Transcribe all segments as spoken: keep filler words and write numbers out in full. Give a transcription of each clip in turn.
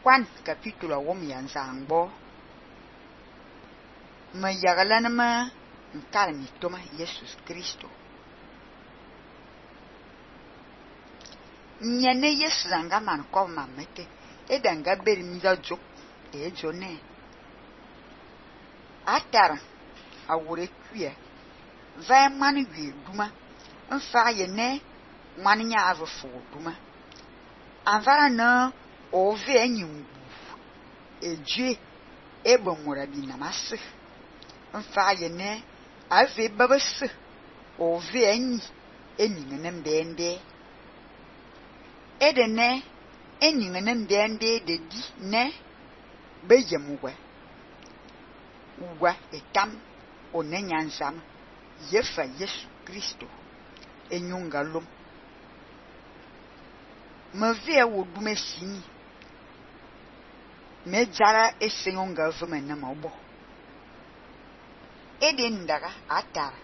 Juan capítulo wom yanzangbo me yaglan ma nkarmi toma Jesus Kristo. Nyane Yesu zanga man ko mamete e danga beri mi da jok e jone atara awure kwie va man wi duma nfa ye ne man nya avo fo duma anvara na ove anyum eje ebo mura bi na masse nfa ye ne ave babase ove anyi eni ne mbende edene eni ne mbende de di ne beyemuwe uwa etam onenyansam yefa Yesu Kristo enyungalum mave wo dume sini me jara esengonga vuma na mabo ede ndaga atara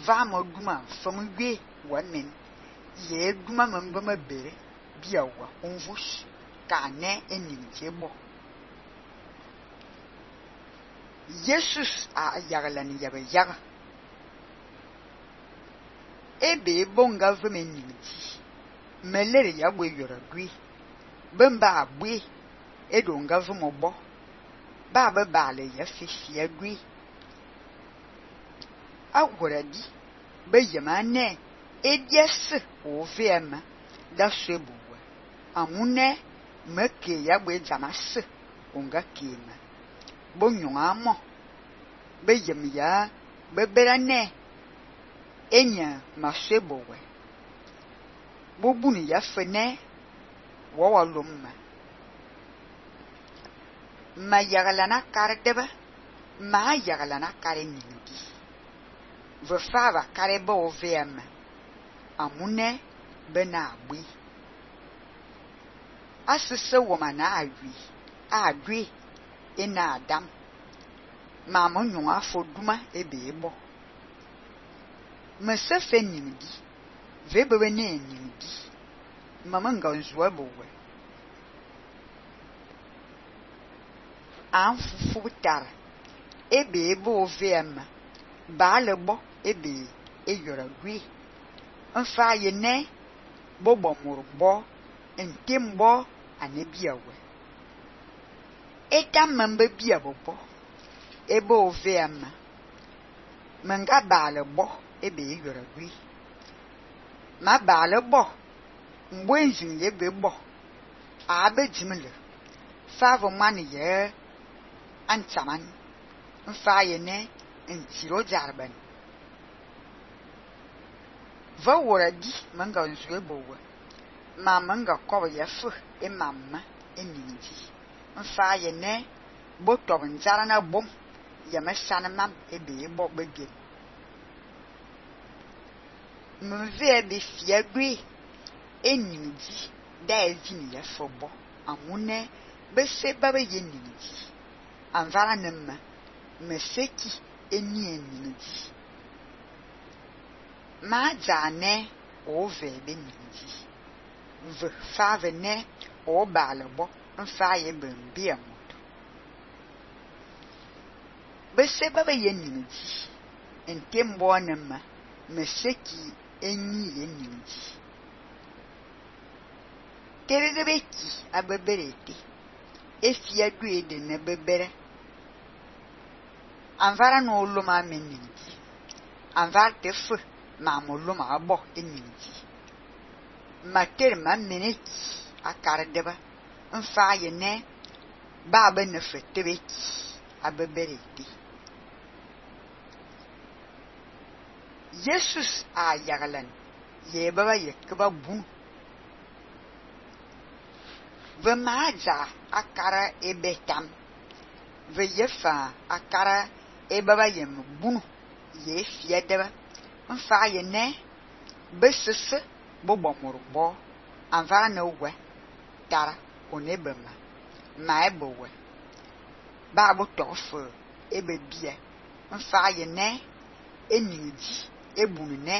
va mo duma famugwe wamen ye duma mambama bere biawa onvus kane eninjebo Jesus a yaglan yabe yaga ebe bonga vuma ninji melere ya gbe yora gwi bemba abwe edonga vuma bo ba ba bale ya fifi ya gwi agoradi be yemane edies ovema da sebuwa amune meke ya gbe jamas onga kema bonyon amo be yem ya beberane enya masebowe bobuni ya fene wawalumma ma yagalana kardeba ma yagalana kare nyindi vefava kare bo vem amune bena abui asese womana awi adwi ina adam ma monyon afoduma ebebo mesefe nyindi vebebe ne nyindi mama nganzwa bowe anfufu tar ebe ebo vem ba lebo ebe eyora gwi nfa ye ne bobo murbo entembo anebiawe eta mambe bia bobo ebo vem manga ba lebo ebe eyora gwi ma ba lebo mbwenjin ye bebo abe jimle favo mani ye antaman nfa ye ne ntiro jarban va woradi manga nzwe bowe ma manga ko ye fu e mamma e ninji nfa ye ne botob nzara na bom ye mesana mam e be bo bege mve be fiagui eninji da ezini ya fobo amune be se baba ye ninji anvara nemma meseki eni eninji ma jane ove be ninji v fave ne o balebo nfa ye bembia moto be se baba ye ninji entembo nemma meseki eni ye ninji terebeki abeberete efia duede ne bebere anvara no luma meninji anvar tefu ma moluma abo eninji mater ma meneki akardeba nfa ye ne baba ne fetebeki abeberete Jesus a yaglan ye baba ye keba bu ve maja akara ebetam ve yefa akara ebaba yem bunu ye fiedeba nfa ye ne besese bobo morbo anvara na we tara onebema ma ebowe ba bo tofu ebebie nfa ye ne eniji ebunu ne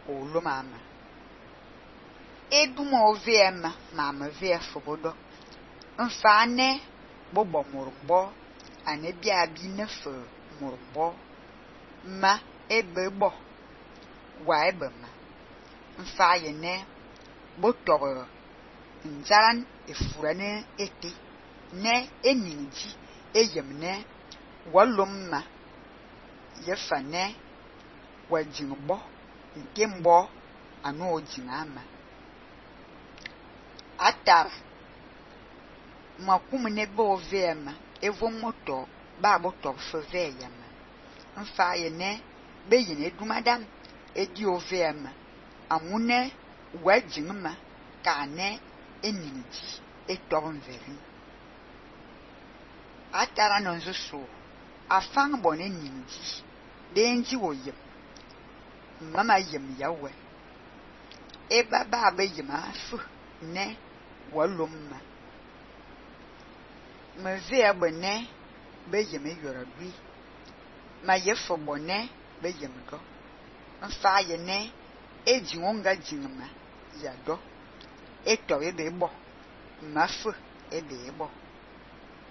olomama eduma ovema mama ve fobodo Mfa ne bo bo morbo ane bia bi ne fe morbo ma ebe bo wa ebe ma mfa ye ne bo togo njaran efurane ete ne eninji eyem ne walum ma ye fa ne wajingbo nke mbo anu ojingama atara makum ne bo vema evo moto ba bo to fe veyama mfa ye ne be yine dumadam edi ovema amune wajingma ka ne eninji etorn veri atara no nzuso afang bone ninji denji woyem mama yem yawe eba ba be yema fu ne walumma me ve abone be yem yorabi ma ye fo bone be yem do mfa ye ne eji wonga jinma ya do eto ebe bo ma fu ebe bo